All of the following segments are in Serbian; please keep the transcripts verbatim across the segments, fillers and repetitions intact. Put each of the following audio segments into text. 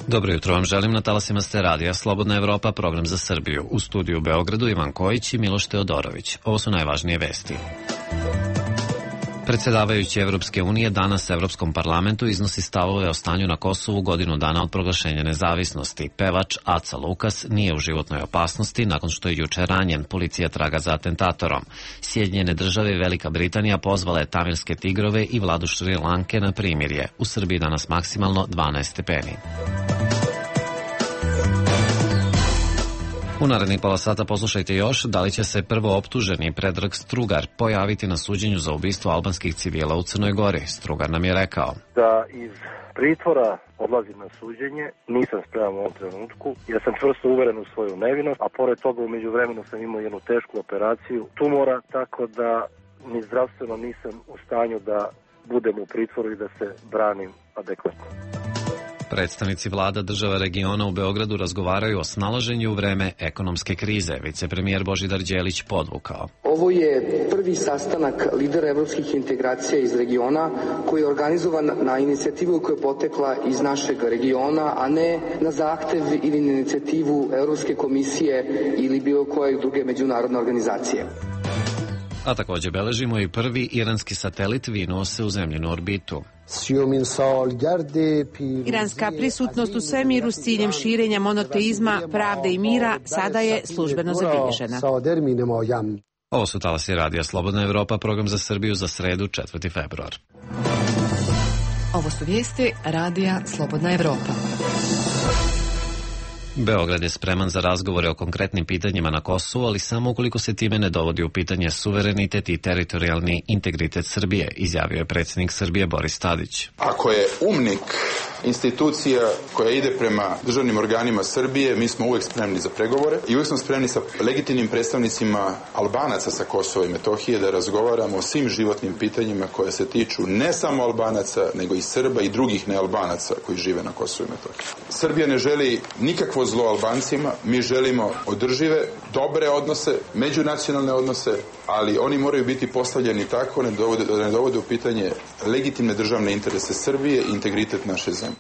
Dobro jutro vam želim, na talasima ste radija Slobodna Evropa, program za Srbiju. U studiju u Beogradu Ivan Kojić i Miloš Teodorović. Ovo su najvažnije vesti. Predsjedavajući Evropske unije danas Evropskom parlamentu iznosi stavove o stanju na Kosovu godinu dana od proglašenja nezavisnosti. Pevač Aca Lukas nije u životnoj opasnosti nakon što je juče ranjen. Policija traga za atentatorom. Sjedinjene države i Velika Britanija pozvala je tamilske tigrove i vladu Šri Lanke na primirje. U Srbiji danas maksimalno dvanaest stepeni. U narednih pola sata poslušajte još da li će se prvo optuženi Predrag Strugar pojaviti na suđenju za ubistvo albanskih civila u Crnoj Gori. Strugar nam je rekao da iz pritvora odlazim na suđenje, nisam spreman u ovom trenutku, ja sam čvrsto uveren u svoju nevinost, a pored toga u međuvremenu sam imao jednu tešku operaciju tumora, tako da ni zdravstveno nisam u stanju da budem u pritvoru i da se branim adekvatno. Predstavnici vlada država regiona u Beogradu razgovaraju o snalaženju u vreme ekonomske krize. Vicepremijer Božidar Đelić podvukao. Ovo je prvi sastanak lidera evropskih integracija iz regiona koji je organizovan na inicijativu koja je potekla iz našeg regiona, a ne na zahtev ili na inicijativu Evropske komisije ili bilo koje druge međunarodne organizacije. A također beležimo i prvi iranski satelit vinuo se u zemljinu orbitu. Iranska prisutnost u svemiru s ciljem širenja monoteizma, pravde i mira sada je službeno zabilježena. Ovo su talasi radija Slobodna Evropa, program za Srbiju za sredu, četvrti februar. Ovo su vijesti radija Slobodna Evropa. Beograd je spreman za razgovore o konkretnim pitanjima na Kosovu, ali samo ukoliko se time ne dovodi u pitanje suverenitet i teritorijalni integritet Srbije, izjavio je predsjednik Srbije Boris Tadić. Ako je umnik institucija koja ide prema državnim organima Srbije, mi smo uvek spremni za pregovore i uvek smo spremni sa legitimnim predstavnicima Albanaca sa Kosova i Metohije da razgovaramo o svim životnim pitanjima koje se tiču ne samo Albanaca, nego i Srba i drugih nealbanaca koji žive na Kosovu i Metohiji. Srbija ne želi nikakvo zlo Albancima, mi želimo održive, dobre odnose, međunacionalne odnose, ali oni moraju biti postavljeni tako da ne dovode, da ne dovode u pitanje legitimne državne interese Srbije i integritet naše zemlje.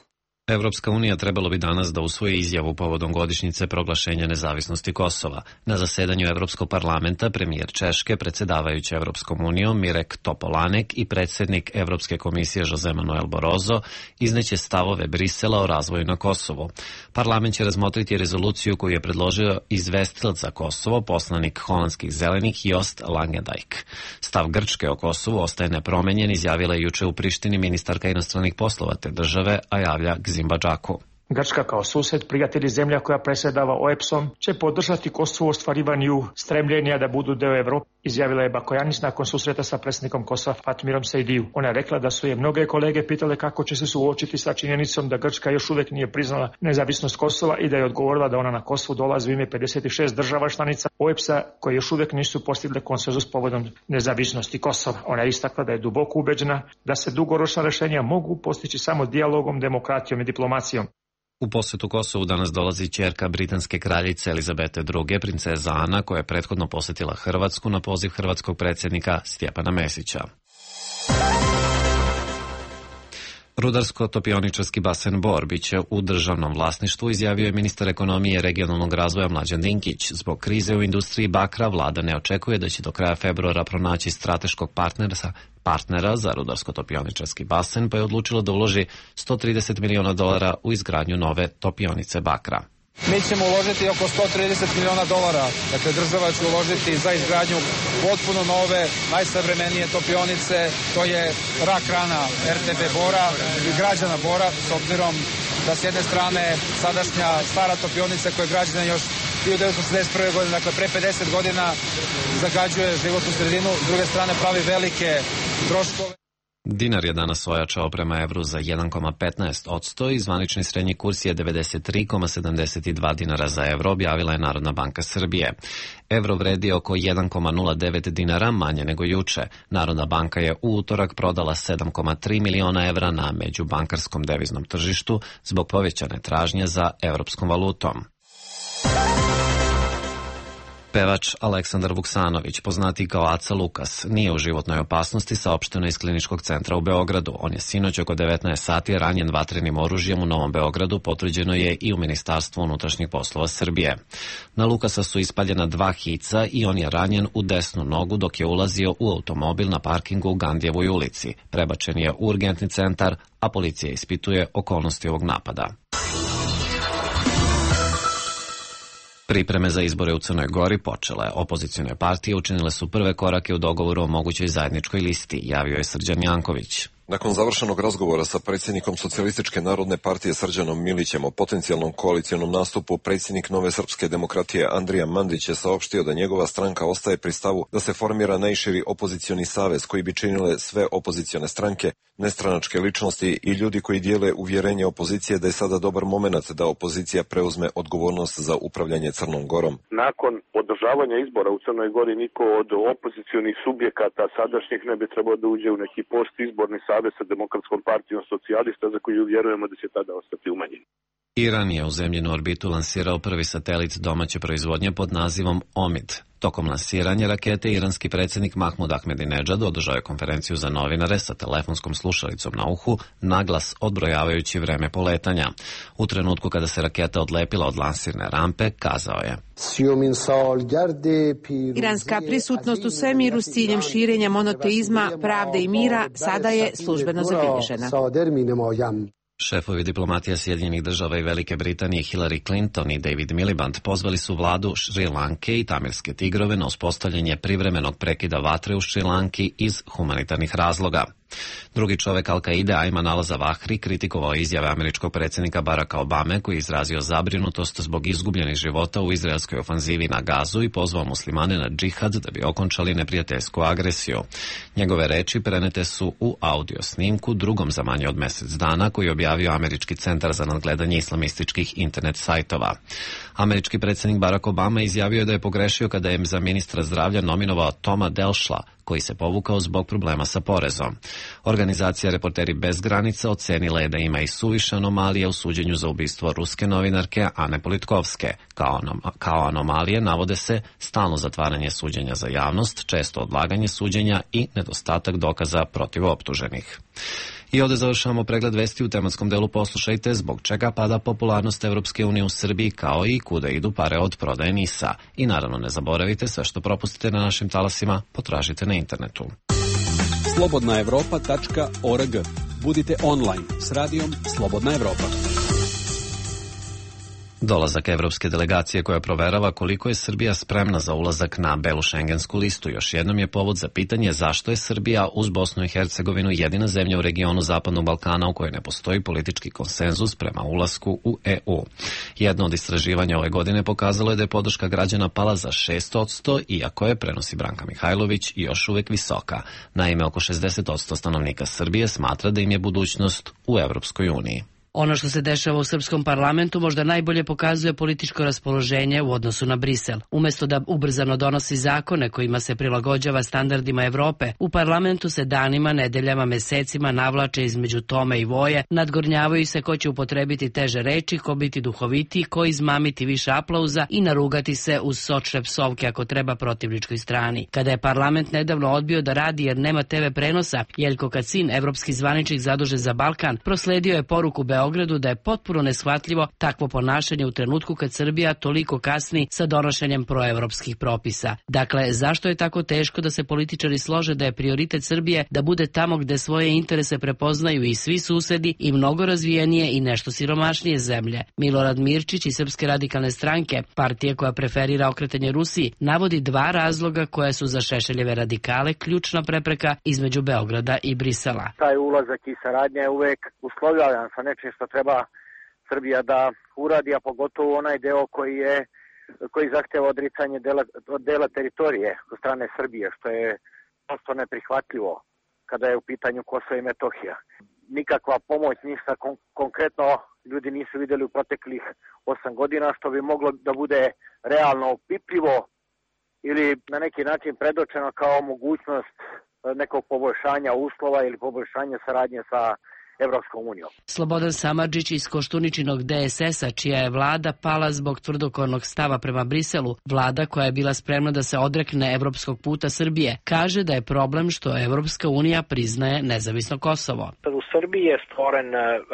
Evropska unija trebalo bi danas da usvoji izjavu povodom godišnjice proglašenja nezavisnosti Kosova. Na zasedanju Evropskog parlamenta premijer Češke, predsjedavajući Evropskom unijom Mirek Topolanek i predsjednik Evropske komisije Jose Manuel Barroso izneće stavove Brisela o razvoju na Kosovu. Parlament će razmotriti rezoluciju koju je predložio izvestilac za Kosovo, poslanik holandskih zelenih Jost Langendijk. Stav Grčke o Kosovu ostaje nepromenjen, izjavila je juče u Prištini ministarka inostranih poslova te države, a javlja Zimbabđaku. Grčka kao sused, prijatelj i zemlja koja predsjedava O E B S-om će podržati Kosovo u ostvarivanju stremljenja da budu deo Evrope, izjavila je Bakojanis nakon susreta sa predsjednikom Kosova Fatmirom Sejdiju. Ona je rekla da su je mnoge kolege pitale kako će se suočiti sa činjenicom da Grčka još uvijek nije priznala nezavisnost Kosova i da je odgovorila da ona na Kosovu dolazi u ime pedeset šest država članica O E B S-a koje još uvijek nisu postigle konsenzus povodom nezavisnosti Kosova. Ona je istakla da je duboko ubeđena da se dugoročna rješenja mogu postići samo dijalogom, demokratijom i diplomacijom. U posjetu Kosovu danas dolazi ćerka britanske kraljice Elizabete druge, princeza Ana, koja je prethodno posjetila Hrvatsku na poziv hrvatskog predsjednika Stjepana Mesića. Rudarsko-topioničarski basen Bor biće u državnom vlasništvu, izjavio je ministar ekonomije i regionalnog razvoja Mlađan Dinkić. Zbog krize u industriji bakra vlada ne očekuje da će do kraja februara pronaći strateškog partnera, partnera za rudarsko-topioničarski basen, pa je odlučilo da uloži sto trideset miliona dolara u izgradnju nove topionice bakra. Mi ćemo uložiti oko sto trideset miliona dolara, dakle država će uložiti za izgradnju potpuno nove, najsavremenije topionice, to je rak rana R T B Bora i građana Bora, s obzirom da s jedne strane sadašnja stara topionica koja je građena još hiljadu devetsto šezdeset prve. godine, dakle pre pedeset godina, zagađuje životnu sredinu, s druge strane pravi velike troškove. Dinar je danas ojačao prema evru za jedan zarez petnaest posto i zvanični srednji kurs je devedeset tri zarez sedamdeset dva dinara za evro, objavila je Narodna banka Srbije. Evro vredi oko jedan zarez nula devet dinara, manje nego juče. Narodna banka je u utorak prodala sedam zarez tri miliona evra na međubankarskom deviznom tržištu zbog povećane tražnje za evropskom valutom. Pevač Aleksandar Vuksanović, poznati kao Aca Lukas, nije u životnoj opasnosti, saopšteno iz Kliničkog centra u Beogradu. On je sinoć oko devetnaest sati ranjen vatrenim oružjem u Novom Beogradu, potvrđeno je i u Ministarstvu unutrašnjih poslova Srbije. Na Lukasa su ispaljena dva hica i on je ranjen u desnu nogu dok je ulazio u automobil na parkingu u Gandijevoj ulici. Prebačen je u urgentni centar, a policija ispituje okolnosti ovog napada. Pripreme za izbore u Crnoj Gori počele. Opozicione partije učinile su prve korake u dogovoru o mogućoj zajedničkoj listi, javio je Srđan Janković. Nakon završenog razgovora sa predsjednikom Socijalističke narodne partije Srđanom Milićem o potencijalnom koalicijonom nastupu, predsjednik Nove srpske demokratije Andrija Mandić je saopštio da njegova stranka ostaje pri stavu da se formira najširi opozicioni savez koji bi činile sve opozicione stranke, nestranačke ličnosti i ljudi koji dijele uvjerenje opozicije da je sada dobar moment da opozicija preuzme odgovornost za upravljanje Crnom Gorom. Nakon održavanja izbora u Crnoj Gori niko od opozicionih subjekata sadašnjih ne bi trebao da uđe u neki post izborni savez sa Demokratskom partijom socijalista za koju vjerujemo da će tada ostati umanjen. Iran je u zemljinu orbitu lansirao prvi satelit domaće proizvodnje pod nazivom Omid. Tokom lansiranja rakete iranski predsjednik Mahmud Ahmedinedžad održao je konferenciju za novinare sa telefonskom slušalicom na uhu, naglas odbrojavajući vreme poletanja. U trenutku kada se raketa odlepila od lansirne rampe, kazao je: Iranska prisutnost u svemiru s ciljem širenja monoteizma, pravde i mira sada je službeno zabilježena. Šefovi diplomatija Sjedinjenih država i Velike Britanije Hillary Clinton i David Miliband pozvali su vladu Šri Lanke i Tamirske tigrove na uspostavljanje privremenog prekida vatre u Šri Lanki iz humanitarnih razloga. Drugi čovek Al-Kaide, Ayman al-Zawahri, kritikovao izjave američkog predsjednika Baracka Obame, koji je izrazio zabrinutost zbog izgubljenih života u izraelskoj ofanzivi na Gazu i pozvao muslimane na džihad da bi okončali neprijateljsku agresiju. Njegove reči prenete su u audio snimku drugom za manje od mjesec dana koji je objavio Američki centar za nadgledanje islamističkih internet sajtova. Američki predsjednik Barack Obama izjavio je da je pogrešio kada je za ministra zdravlja nominovao Toma Delšla, koji se povukao zbog problema sa porezom. Organizacija Reporteri bez granica ocenila je da ima i suviše anomalije u suđenju za ubistvo ruske novinarke Ane Politkovske. Kao, anom- kao anomalije navode se stalno zatvaranje suđenja za javnost, često odlaganje suđenja i nedostatak dokaza protiv optuženih. I ovdje završavamo pregled vesti. U tematskom delu poslušajte zbog čega pada popularnost Evropske unije u Srbiji, kao i kuda idu pare od prodaje NIS-a. I naravno ne zaboravite, sve što propustite na našim talasima potražite na internetu. slobodna evropa tačka org. Budite online s radijom Slobodna Evropa. Dolazak evropske delegacije koja proverava koliko je Srbija spremna za ulazak na belu šengensku listu još jednom je povod za pitanje zašto je Srbija uz Bosnu i Hercegovinu jedina zemlja u regionu Zapadnog Balkana u kojoj ne postoji politički konsenzus prema ulasku u E U. Jedno od istraživanja ove godine pokazalo je da je podrška građana pala za šest posto, iako je, prenosi Branka Mihajlović, još uvek visoka. Naime, oko šezdeset posto stanovnika Srbije smatra da im je budućnost u Evropskoj uniji. Ono što se dešava u srpskom parlamentu možda najbolje pokazuje političko raspoloženje u odnosu na Brisel. Umesto da ubrzano donosi zakone kojima se prilagođava standardima Evrope, u parlamentu se danima, nedeljama, mesecima navlače između tome i voje, nadgornjavaju se ko će upotrebiti teže reči, ko biti duhovitiji, ko izmamiti više aplauza i narugati se uz sočne psovke ako treba protivničkoj strani. Kada je parlament nedavno odbio da radi jer nema te ve prenosa, Jeljko Kacin, evropski zvaničnik zadužen za Balkan, prosledio je poruku Beogradu Beogradu da je potpuno neshvatljivo takvo ponašanje u trenutku kad Srbija toliko kasni sa donošenjem proevropskih propisa. Dakle, zašto je tako teško da se političari slože da je prioritet Srbije da bude tamo gde svoje interese prepoznaju i svi susedi i mnogo razvijenije i nešto siromašnije zemlje? Milorad Mirčić iz Srpske radikalne stranke, partije koja preferira okretanje Rusiji, navodi dva razloga koja su za Šešeljeve radikale ključna prepreka između Beograda i Brisela. Taj ulazak i saradnja je uvek uslovljavan sa nečim što treba Srbija da uradi, a pogotovo onaj deo koji je koji zahteva odricanje dela, od dela teritorije od strane Srbije, što je prosto neprihvatljivo kada je u pitanju Kosovo i Metohija. Nikakva pomoć, ništa kon- konkretno ljudi nisu vidjeli u proteklih osam godina, što bi moglo da bude realno opipljivo ili na neki način predočeno kao mogućnost nekog poboljšanja uslova ili poboljšanja saradnje sa Evropskom unijom. Slobodan Samardžić iz Koštuničinog D S S-a, čija je vlada pala zbog tvrdokornog stava prema Briselu, vlada koja je bila spremna da se odrekne evropskog puta Srbije, kaže da je problem što Evropska unija priznaje nezavisno Kosovo. U Srbiji je stvoren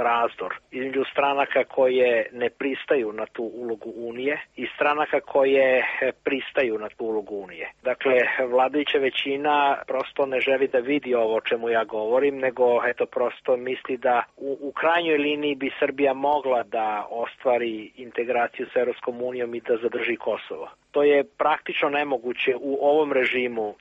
razdor između stranaka koje ne pristaju na tu ulogu Unije i stranaka koje pristaju na tu ulogu Unije. Dakle, vladajuća većina prosto ne želi da vidi ovo o čemu ja govorim, nego eto prosto misli da u, u krajnjoj liniji bi Srbija mogla da ostvari integraciju sa Evropskom unijom i da zadrži Kosovo. To je praktično nemoguće u ovom režimu e,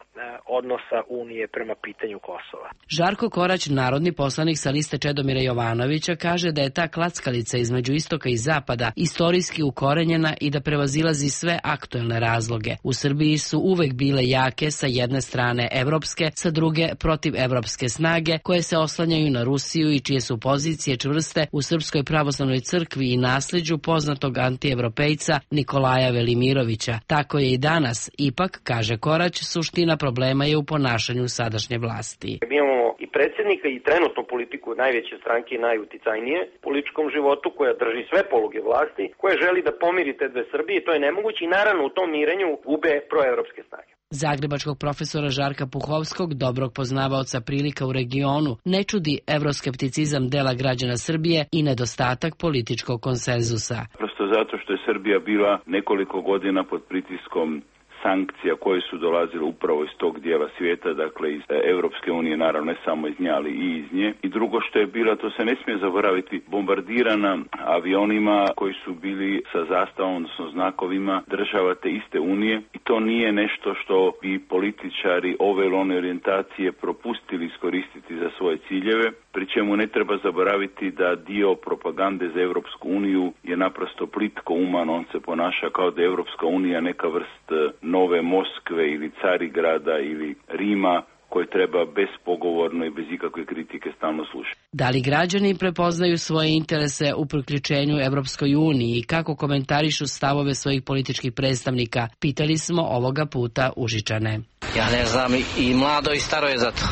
odnosa Unije prema pitanju Kosova. Žarko Korać, narodni poslanik sa liste Čedomira Jovanovića, kaže da je ta klackalica između istoka i zapada istorijski ukorenjena i da prevazilazi sve aktuelne razloge. U Srbiji su uvek bile jake sa jedne strane evropske, sa druge protivevropske snage koje se oslanjaju na Rusiju i čije su pozicije čvrste u Srpskoj pravoslavnoj crkvi i nasleđu poznatog antievropejca Nikolaja Velimirovića. Tako je i danas. Ipak, kaže Korać, suština problema je u ponašanju sadašnje vlasti. Mi imamo i predsjednika i trenutnu politiku najveće stranke i najuticajnije u političkom životu, koja drži sve poluge vlasti, koja želi da pomiri te dve Srbije. To je nemoguće i naravno u tom mirenju gube proevropske snage. Zagrebačkog profesora Žarka Puhovskog, dobrog poznavaoca prilika u regionu, ne čudi evroskepticizam dela građana Srbije i nedostatak političkog konsenzusa. Prosto zato što je Srbija bila nekoliko godina pod pritiskom sankcija koje su dolazile upravo iz tog dijela svijeta, dakle iz Europske unije, naravno ne samo iz nje, ali i iz nje. I drugo što je bila, to se ne smije zaboraviti, bombardirana avionima koji su bili sa zastavom, odnosno znakovima država te iste unije. I to nije nešto što bi političari ove ili one orijentacije propustili iskoristiti za svoje ciljeve, pri čemu ne treba zaboraviti da dio propagande za Europsku uniju je naprosto plitko uman, on se ponaša kao da je Europska unija neka vrst nove Moskve ili Carigrada ili Rima koje treba bespogovorno i bez ikakve kritike stalno slušati. Da li građani prepoznaju svoje interese u priključenju Evropskoj uniji i kako komentarišu stavove svojih političkih predstavnika, pitali smo ovoga puta Užičane. Ja ne znam, i mlado i staro je za to.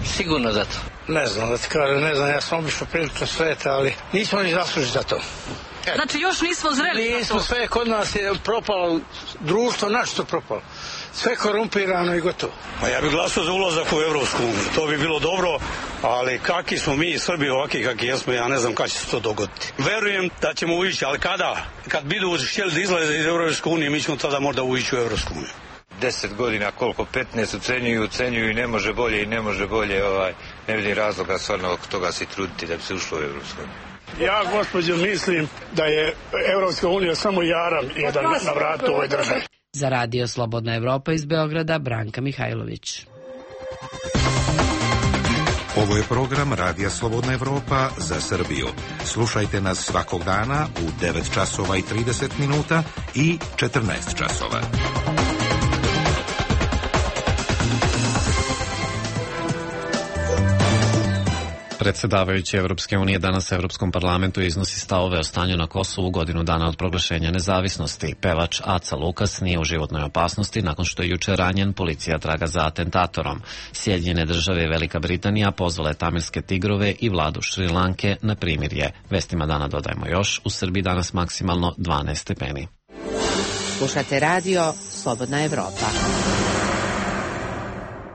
Sigurno za to. Ne znam da ti kažem, ne znam, ja sam obišao prilično sveta, ali nismo ni zaslužili za to. Et. Znači još nismo zreli za to? Nismo, sve kod nas je propalo, društvo našto propalo. Sve korumpirano i gotovo. Pa ja bih glasao za ulazak u Evropsku uniju, to bi bilo dobro, ali kakvi smo mi Srbi ovaki kakvi jesmo, ja ne znam kada će se to dogoditi. Verujem da ćemo ući, ali kada? Kad budu htjeli da izlaze iz Evropske unije, mi ćemo tada možda ući u Evropsku uniju. Deset godina, koliko, petnaest ucenjuju, ucenjuju i ne može bolje i ne može bolje, ovaj, ne vidim razloga stvarno oko toga se truditi da bi se ušlo u Evropsku uniju. Ja, gospođo, mislim da je Evropska unija samo jaram jedan na vratu ove države. Za Radio Slobodna Evropa iz Beograda, Branka Mihajlović. Ovo je program Radija Slobodna Evropa za Srbiju. Slušajte nas svakog dana u devet časova i trideset minuta i četrnaest časova. Predsedavajući Evropske unije danas u Evropskom parlamentu iznosi stavove o stanju na Kosovu godinu dana od proglašenja nezavisnosti. Pevač Aca Lukas nije u životnoj opasnosti nakon što je juče ranjen, policija traga za atentatorom. Sjedinjene države i Velika Britanija pozvale tamilske tigrove i vladu Šrilanke na primirje. Vestima dana dodajemo još, u Srbiji danas maksimalno dvanaest stepeni. Slušate radio Slobodna Evropa.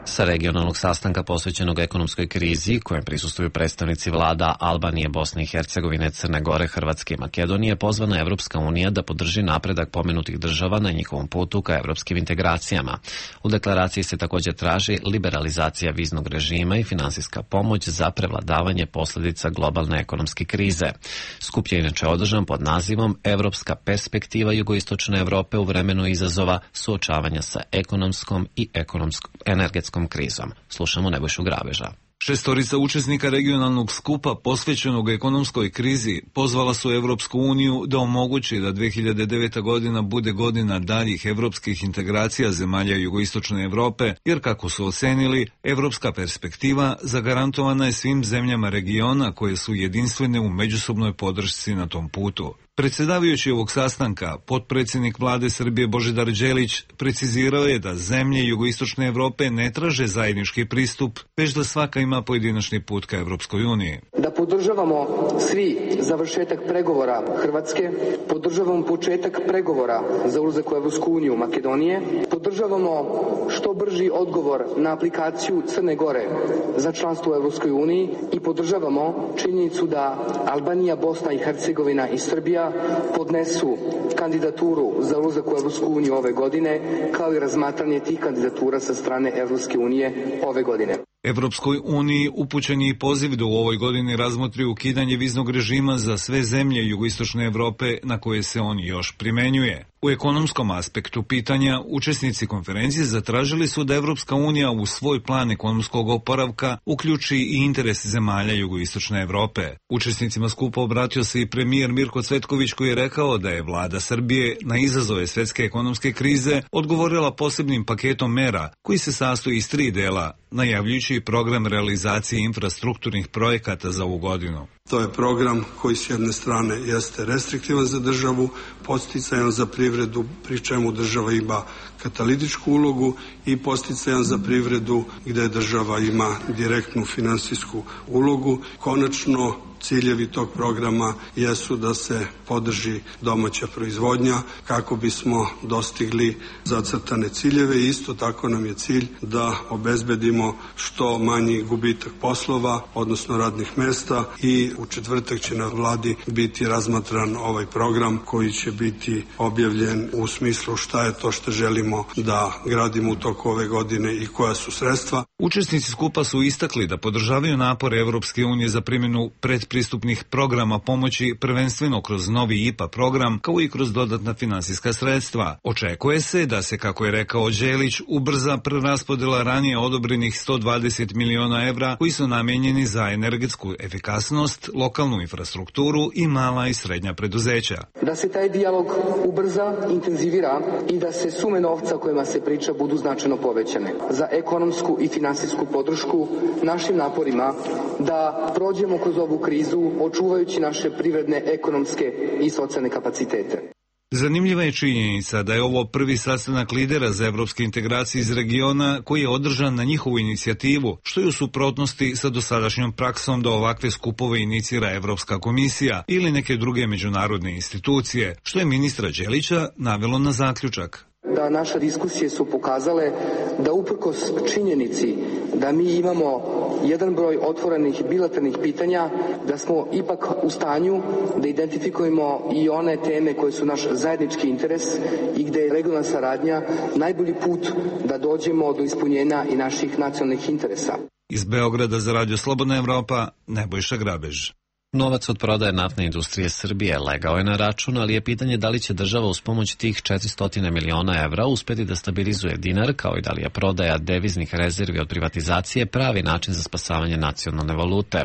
Sa regionalnog sastanka posvećenog ekonomskoj krizi, kojem prisustuju predstavnici vlada Albanije, Bosne i Hercegovine, Crne Gore, Hrvatske i Makedonije, pozvana Evropska unija da podrži napredak pomenutih država na njihovom putu ka evropskim integracijama. U deklaraciji se također traži liberalizacija viznog režima i finansijska pomoć za prevladavanje posljedica globalne ekonomske krize. Skup je inače održan pod nazivom Evropska perspektiva jugoistočne Evrope u vremenu izazova suočavanja sa ekonomskom i ekonomskom energetskom krizom. Slušamo Nebojšu Grabeža. Šestorica učesnika regionalnog skupa posvećenog ekonomskoj krizi pozvala su Evropsku uniju da omogući da dve hiljade deveta godina bude godina daljih evropskih integracija zemalja jugoistočne Evrope, jer kako su ocenili, evropska perspektiva zagarantovana je svim zemljama regiona koje su jedinstvene u međusobnoj podršci na tom putu. Predsjedavajući ovog sastanka, potpredsjednik vlade Srbije Božidar Đelić precizirao je da zemlje jugoistočne Evrope ne traže zajednički pristup, već da svaka ima pojedinačni put ka Evropskoj uniji. Da podržavamo svi završetak pregovora Hrvatske, podržavamo početak pregovora za ulazak u Evropsku uniju Makedonije, podržavamo što brži odgovor na aplikaciju Crne Gore za članstvo u Evropskoj uniji i podržavamo činjenicu da Albanija, Bosna i Hercegovina i Srbija podnesu kandidaturu za ulazak u Evropsku uniju ove godine, kao i razmatranje tih kandidatura sa strane Evropske unije ove godine. Evropskoj uniji upućen je i poziv da u ovoj godini razmotri ukidanje viznog režima za sve zemlje jugoistočne Evrope na koje se on još primenjuje. U ekonomskom aspektu pitanja, učesnici konferencije zatražili su da Evropska unija u svoj plan ekonomskog oporavka uključi i interes zemalja jugoistočne Evrope. Učesnicima skupa obratio se i premijer Mirko Cvetković, koji je rekao da je vlada Srbije na izazove svetske ekonomske krize odgovorila posebnim paketom mera koji se sastoji iz tri dela, najavljujući program realizacije infrastrukturnih projekata za ovu godinu. To je program koji s jedne strane jeste restriktivan za državu, podsticajan za privredu, pri čemu država ima katalitičku ulogu, i podsticajan za privredu gde država ima direktnu finansijsku ulogu. Konačno, ciljevi tog programa jesu da se podrži domaća proizvodnja kako bismo dostigli zacrtane ciljeve. Isto tako nam je cilj da obezbedimo što manji gubitak poslova, odnosno radnih mesta, i u četvrtak će na vladi biti razmatran ovaj program koji će biti objavljen u smislu šta je to što želimo da gradimo u toku ove godine i koja su sredstva. Učesnici skupa su istakli da podržavaju napore Evropske unije za primjenu predpristupnih programa pomoći, prvenstveno kroz novi I P A program, kao i kroz dodatna finansijska sredstva. Očekuje se da se, kako je rekao Đelić, ubrza preraspodela ranije odobrenih sto dvadeset miliona evra koji su namenjeni za energetsku efikasnost, lokalnu infrastrukturu i mala i srednja preduzeća. Da se taj dijalog ubrza, intenzivira i da se sume novca kojima se priča budu značajno povećane za ekonomsku i finansijsku podršku našim naporima da prođemo kroz ovu krizu očuvajući naše privredne, ekonomske i socijalne kapacitete. Zanimljiva je činjenica da je ovo prvi sastanak lidera za evropske integracije iz regiona koji je održan na njihovu inicijativu, što je u suprotnosti sa dosadašnjom praksom da ovakve skupove inicira Evropska komisija ili neke druge međunarodne institucije, što je ministra Đelića navelo na zaključak. Da naše diskusije su pokazale da uprkos činjenici da mi imamo jedan broj otvorenih bilateralnih pitanja, da smo ipak u stanju da identifikujemo i one teme koje su naš zajednički interes i gde je regionalna saradnja najbolji put da dođemo do ispunjenja i naših nacionalnih interesa. Iz Beograda za Radio Slobodna Evropa, Nebojša Grabež. Novac od prodaje naftne industrije Srbije legao je na račun, ali je pitanje da li će država uz pomoć tih četiristo miliona evra uspeti da stabilizuje dinar, kao i da li je prodaja deviznih rezervi od privatizacije pravi način za spasavanje nacionalne valute.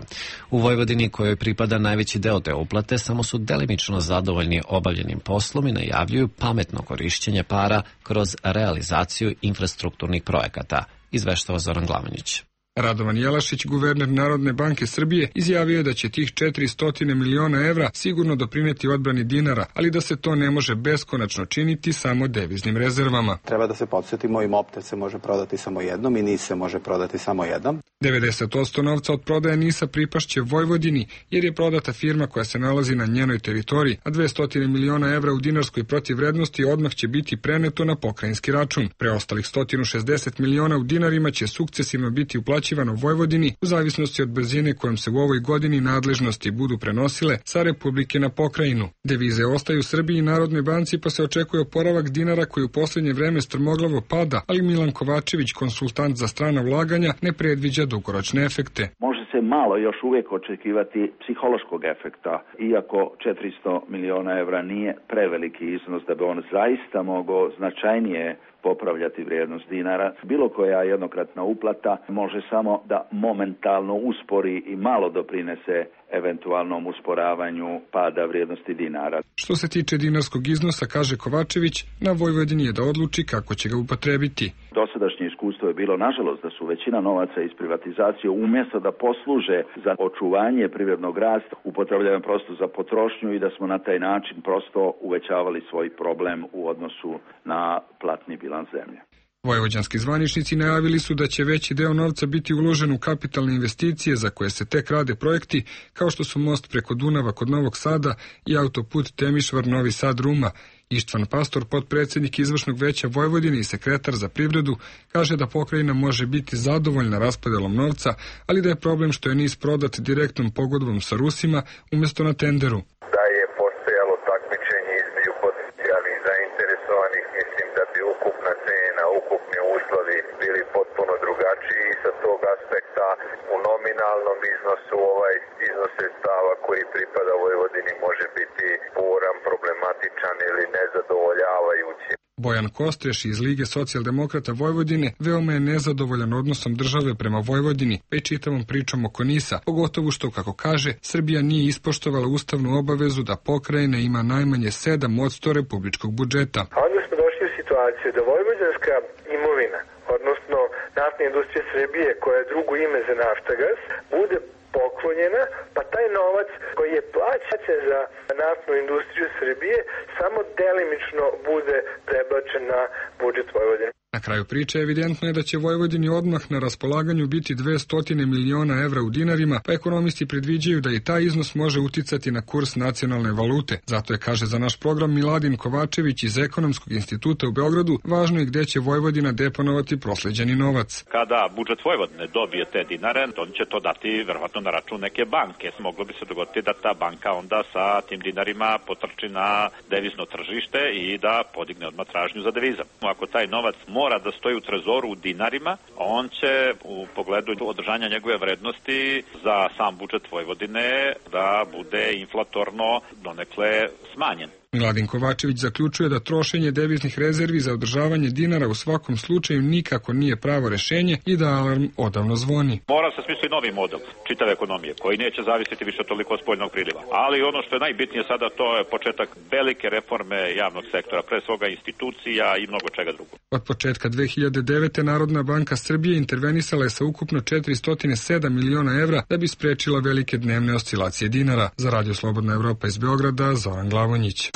U Vojvodini, kojoj pripada najveći deo te uplate, samo su delimično zadovoljni obavljenim poslom i najavljuju pametno korišćenje para kroz realizaciju infrastrukturnih projekata, izveštava Zoran Glavanić. Radovan Jelašić, guverner Narodne banke Srbije, izjavio je da će tih četiristo miliona evra sigurno doprineti odbrani dinara, ali da se to ne može beskonačno činiti samo deviznim rezervama. Treba da se podsjetimo, i Mopte se može prodati samo jednom i NIS se može prodati samo jednom. devedeset posto novca od prodaje NIS-a pripašće Vojvodini, jer je prodata firma koja se nalazi na njenoj teritoriji, a dvesta miliona evra u dinarskoj protivvrednosti odmah će biti preneto na pokrajinski račun. Preostalih sto šezdeset miliona u dinarima će sukcesivno biti uplaćivano Vojvodini u zavisnosti od brzine kojom se u ovoj godini nadležnosti budu prenosile sa Republike na pokrajinu. Devize ostaju Srbiji i Narodnoj banci, pa se očekuje oporavak dinara koji u poslednje vreme strmoglavo pada, ali Milan Kovačević, konsultant za strana ulaganja, ne predviđa dugoročne efekte. Može se malo još uvijek očekivati psihološkog efekta, iako četiristo miliona evra nije preveliki iznos da bi on zaista mogao značajnije popravljati vrijednost dinara. Bilo koja jednokratna uplata može samo da momentalno uspori i malo doprinese eventualnom usporavanju pada vrijednosti dinara. Što se tiče dinarskog iznosa, kaže Kovačević, na Vojvodini je da odluči kako će ga upotrebiti. Dosadašnje iskustvo je bilo, nažalost, da su većina novaca iz privatizacije umjesto da posluže za očuvanje privrednog rasta, upotrebljavaju prosto za potrošnju i da smo na taj način prosto uvećavali svoj problem u odnosu na platni bilans zemlje. Vojvođanski zvaničnici najavili su da će veći deo novca biti uložen u kapitalne investicije za koje se tek rade projekti, kao što su most preko Dunava kod Novog Sada i autoput Temišvar-Novi Sad-Ruma. Ištvan Pastor, potpredsjednik izvršnog veća Vojvodine i sekretar za privredu, kaže da pokrajina može biti zadovoljna raspodelom novca, ali da je problem što je niz prodat direktnom pogodbom sa Rusima umjesto na tenderu. Da je postojalo takmičenje između potencijalnih zainteresovanih, mislim da bi ukupna cena, ukupni uslovi bili potpuno drugačiji i sa tog aspekta u nominalnom iznosu ovaj iznos sredstava koji pripada Vojvodini može biti sporan, problematičan ili nezadovoljavajući. Bojan Kostreš iz Lige socijaldemokrata Vojvodine veoma je nezadovoljan odnosom države prema Vojvodini, pa i čitavom pričom oko NIS-a, pogotovo što, kako kaže, Srbija nije ispoštovala ustavnu obavezu da pokrajina ima najmanje sedam posto republičkog budžeta. A onda smo došli u situaciju da vojvođanska imovina, odnosno naftna industrija Srbije, koja je drugo ime za Naftagas, bude poklonjena, pa taj novac koji je plaćen za naftnu industriju Srbije samo delimično bude prebačen na budžet Vojvodine. Na kraju priče evidentno je da će Vojvodini odmah na raspolaganju biti dvesta miliona evra u dinarima, pa ekonomisti predviđaju da i taj iznos može uticati na kurs nacionalne valute. Zato je, kaže za naš program Miladin Kovačević iz Ekonomskog instituta u Beogradu, važno je gde će Vojvodina deponovati prosleđeni novac. Kada budžet Vojvodine dobije te dinare, on će to dati verovatno na račun neke banke. Moglo bi se dogoditi da ta banka onda sa tim dinarima potrči na devizno tržište i da podigne odmah tražnju za devizam. Ako taj novac mora da stoji u trezoru u dinarima, on će u pogledu održanja njegove vrednosti za sam budžet Vojvodine da bude inflatorno donekle smanjen. Miladin Kovačević zaključuje da trošenje deviznih rezervi za održavanje dinara u svakom slučaju nikako nije pravo rešenje i da alarm odavno zvoni. Mora se smisliti novi model čitave ekonomije koji neće zavisiti više toliko od spoljnog priliva. Ali ono što je najbitnije sada, to je početak velike reforme javnog sektora, pre svoga institucija i mnogo čega drugog. Od početka dve hiljade devete. Narodna banka Srbije intervenisala je sa ukupno četiristo sedam miliona evra da bi sprečila velike dnevne oscilacije dinara. Za Radio Slobodna Evropa iz Beograda, Zoran Glavonjić.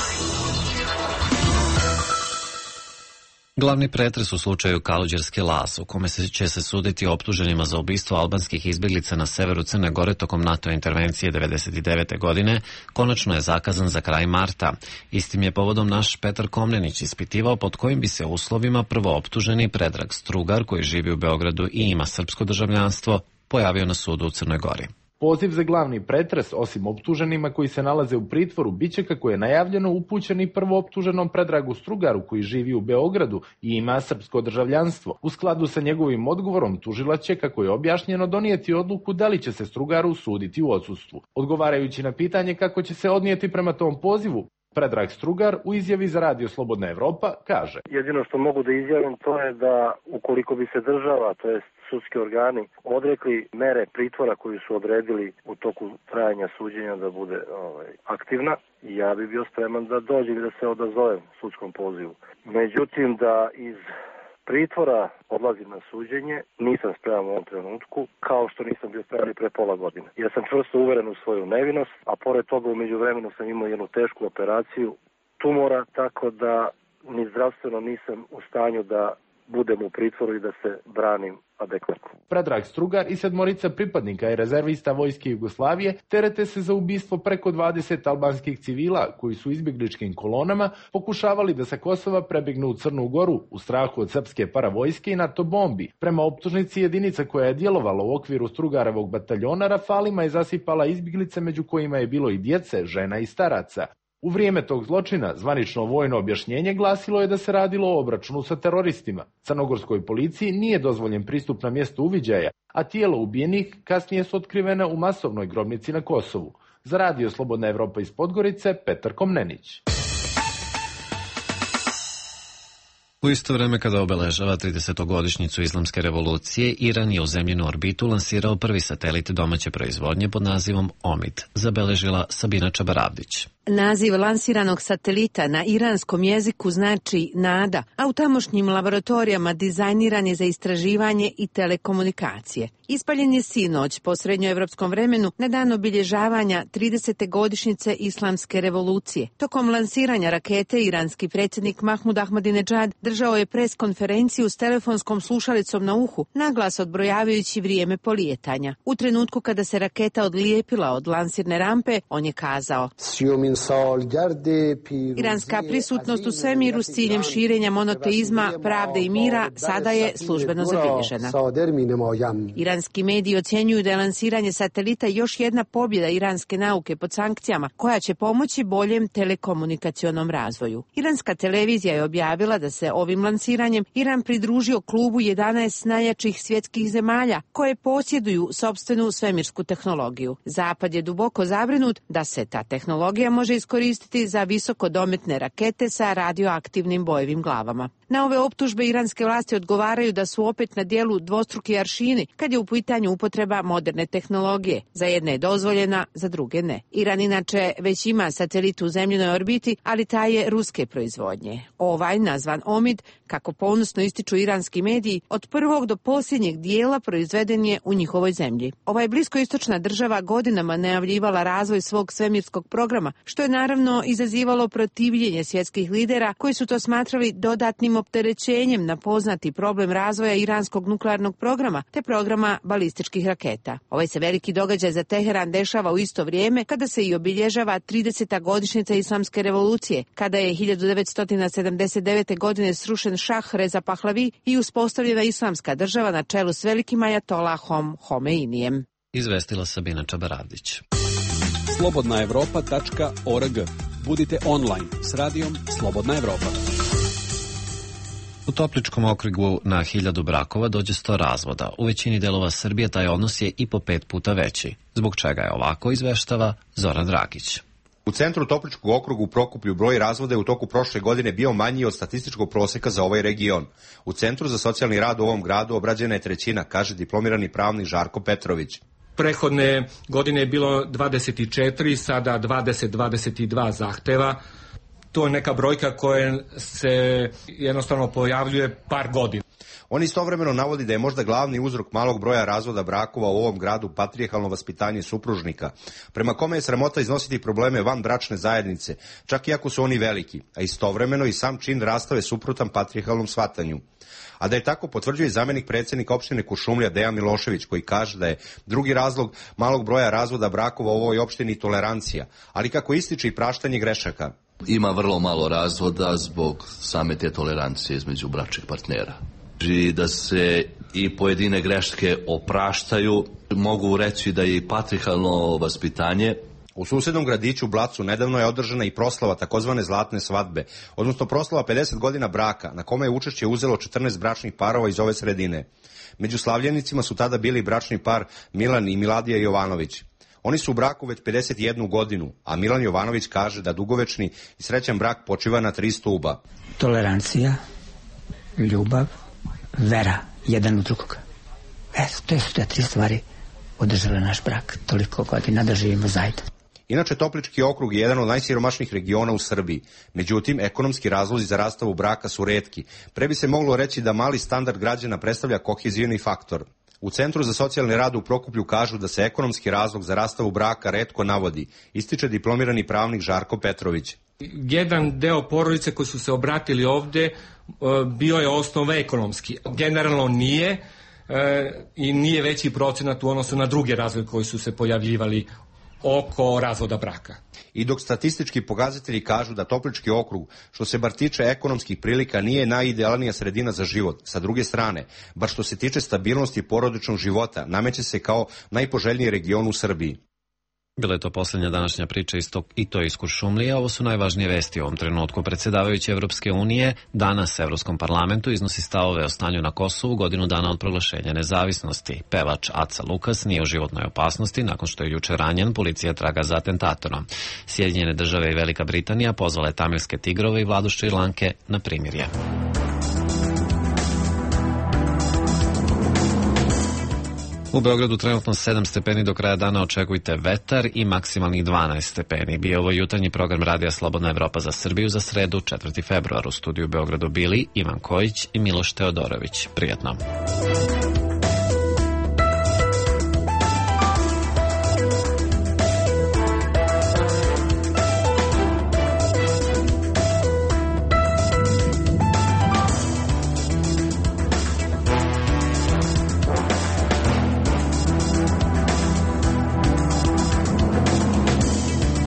Glavni pretres u slučaju Kaluđerske Las, u kome se će se suditi optuženima za ubistvo albanskih izbjeglica na severu Crne Gore tokom NATO intervencije devedeset devete. godine, konačno je zakazan za kraj marta. Istim je povodom naš Petar Komnenić ispitivao pod kojim bi se uslovima prvo optuženi Predrag Strugar, koji živi u Beogradu i ima srpsko državljanstvo, pojavio na sudu u Crnoj Gori. Poziv za glavni pretres, osim optuženima koji se nalaze u pritvoru, biće, kako je najavljeno, upućen i prvo optuženom Predragu Strugaru, koji živi u Beogradu i ima srpsko državljanstvo. U skladu sa njegovim odgovorom, tužilac će, kako je objašnjeno, donijeti odluku da li će se Strugaru suditi u odsustvu. Odgovarajući na pitanje kako će se odnijeti prema tom pozivu, Predrag Strugar u izjavi za Radio Slobodna Evropa kaže: Jedino što mogu da izjavim to je da ukoliko bi se država, to jest sudski organi, odrekli mere pritvora koju su odredili u toku trajanja suđenja da bude ovaj, aktivna, ja bi bio spreman da dođe i da se odazovem sudskom pozivu. Međutim, da iz pritvora odlazim na suđenje, nisam spreman u ovom trenutku, kao što nisam bio spreman i pre pola godine. Ja sam čvrsto uveren u svoju nevinost, a pored toga u međuvremenu sam imao jednu tešku operaciju tumora, tako da ni zdravstveno nisam u stanju da budem u pritvoru i da se branim adekvatno. Predrag Strugar i sedmorica pripadnika i rezervista Vojske Jugoslavije terete se za ubistvo preko dvadeset albanskih civila koji su izbjegličkim kolonama pokušavali da sa Kosova prebegnu u Crnu Goru u strahu od srpske paravojske i NATO bombi. Prema optužnici, jedinica koja je djelovala u okviru Strugarevog bataljona rafalima je zasipala izbjeglice, među kojima je bilo i djece, žena i staraca. U vrijeme tog zločina zvanično vojno objašnjenje glasilo je da se radilo o obračunu sa teroristima. Crnogorskoj policiji nije dozvoljen pristup na mjesto uviđaja, a tijelo ubijenih kasnije su otkrivene u masovnoj grobnici na Kosovu. Za Radio Slobodna Evropa iz Podgorice, Petar Komnenić. U isto vreme kada obeležava tridesetogodišnjicu islamske revolucije, Iran je u zemljinu orbitu lansirao prvi satelit domaće proizvodnje pod nazivom Omid, zabeležila Sabina Čabaravdić. Naziv lansiranog satelita na iranskom jeziku znači nada, a u tamošnjim laboratorijama dizajniran je za istraživanje i telekomunikacije. Ispaljen je sinoć po srednjoevropskom vremenu na dan obilježavanja tridesete godišnjice islamske revolucije. Tokom lansiranja rakete iranski predsjednik Mahmud Ahmadinejad držao je pres konferenciju s telefonskom slušalicom na uhu, naglas odbrojavajući vrijeme polijetanja. U trenutku kada se raketa odlijepila od lansirne rampe, on je kazao: Iranska prisutnost u svemiru s ciljem širenja monoteizma, pravde i mira sada je službeno zabilježena. Iranski mediji ocjenjuju da je lansiranje satelita još jedna pobjeda iranske nauke pod sankcijama, koja će pomoći boljem telekomunikacionom razvoju. Iranska televizija je objavila da se ovim lansiranjem Iran pridružio klubu jedanaest najjačih svjetskih zemalja koje posjeduju sopstvenu svemirsku tehnologiju. Zapad je duboko zabrinut da se ta tehnologija može iskoristiti za visokodometne rakete sa radioaktivnim bojevim glavama. Na ove optužbe iranske vlasti odgovaraju da su opet na dijelu dvostruki aršini kad je u pitanju upotreba moderne tehnologije. Za jedne je dozvoljena, za druge ne. Iran inače već ima satelit u zemljinoj orbiti, ali taj je ruske proizvodnje. Ovaj, nazvan Omid, kako ponosno ističu iranski mediji, od prvog do posljednjeg dijela proizveden je u njihovoj zemlji. Ova bliskoistočna država godinama najavljivala razvoj svog svemirskog programa, što je naravno izazivalo protivljenje svjetskih lidera koji su to smatrali dodatnim opterećenjem na poznati problem razvoja iranskog nuklearnog programa te programa balističkih raketa. Ovaj se veliki događaj za Teheran dešava u isto vrijeme kada se i obilježava trideseta godišnjica islamske revolucije, kada je hiljadu devetsto sedamdeset devete. godine srušen Šah Reza Pahlavi i uspostavljena islamska država na čelu s velikim ajatolahom Homeinijem. Izvestila Sabina Čabaravdić. slobodna evropa tačka org. Budite online s radijom Slobodna Evropa. U Topličkom okrugu na hiljadu brakova dođe sto razvoda. U većini delova Srbije taj odnos je i po pet puta veći. Zbog čega je ovako, izveštava Zoran Dragić. U centru Topličkog okruga u Prokuplju broj razvoda je u toku prošle godine bio manji od statističkog proseka za ovaj region. U Centru za socijalni rad u ovom gradu obrađena je trećina, kaže diplomirani pravnik Žarko Petrović. Prethodne godine je bilo dvadeset četiri, sada dvadeset do dvadeset dva zahteva. To je neka brojka koja se jednostavno pojavljuje par godina. On istovremeno navodi da je možda glavni uzrok malog broja razvoda brakova u ovom gradu patrijarhalno vaspitanje supružnika, prema kome je sramota iznositi probleme van bračne zajednice, čak i ako su oni veliki, a istovremeno i sam čin rastave suprotan patrijarhalnom shvatanju. A da je tako potvrđuje zamenik predsjednika opštine Kuršumlija Dejan Milošević, koji kaže da je drugi razlog malog broja razvoda brakova u ovoj opštini tolerancija, ali kako ističe i praštanje grešaka. Ima vrlo malo razvoda zbog same te tolerancije između bračnih partnera. I da se i pojedine greške opraštaju, mogu reći da je i patrijarhalno vaspitanje. U susednom gradiću Blacu nedavno je održana i proslava takozvane zlatne svadbe, odnosno proslava pedeset godina braka, na kome je učešće uzelo četrnaest bračnih parova iz ove sredine. Među slavljenicima su tada bili bračni par Milan i Miladija Jovanović. Oni su u braku već pedeset jednu godinu, a Milan Jovanović kaže da dugovečni i srećan brak počiva na tri stuba. Tolerancija, ljubav, vera jedan u drugog. E, to su te tri stvari održale naš brak toliko godina da živimo zajedno. Inače, Toplički okrug je jedan od najsiromašnijih regiona u Srbiji. Međutim, ekonomski razlozi za rastavu braka su retki. Pre bi se moglo reći da mali standard građana predstavlja kohezioni faktor. U Centru za socijalni rad u Prokuplju kažu da se ekonomski razlog za rastavu braka retko navodi, ističe diplomirani pravnik Žarko Petrović. Jedan deo porodice koji su se obratili ovde bio je osnova ekonomski. Generalno nije i nije veći procenat u odnosu na druge razloge koji su se pojavljivali oko razvoda braka. I dok statistički pokazatelji kažu da Toplički okrug, što se bar tiče ekonomskih prilika, nije najidealnija sredina za život, sa druge strane, bar što se tiče stabilnosti porodičnog života, nameće se kao najpoželjniji region u Srbiji. Bila je to posljednja današnja priča iz tog, i to iz Kuršumlije. Ovo su najvažnije vesti u ovom trenutku. Predsjedavajući Evropske unije danas Evropskom parlamentu iznosi stavove o stanju na Kosovu godinu dana od proglašenja nezavisnosti. Pevač Aca Lukas nije u životnoj opasnosti nakon što je juče ranjen, policija traga za atentatorom. Sjedinjene države i Velika Britanija pozvale tamilske tigrove i vladu Šrilanke na primirje. U Beogradu trenutno sedam stepeni, do kraja dana očekujte vetar i maksimalnih dvanaest stepeni. Bio ovo jutarnji program Radija Slobodna Evropa za Srbiju za sredu, četvrti februar. U studiju u Beogradu bili Ivan Kojić i Miloš Teodorović. Prijetno.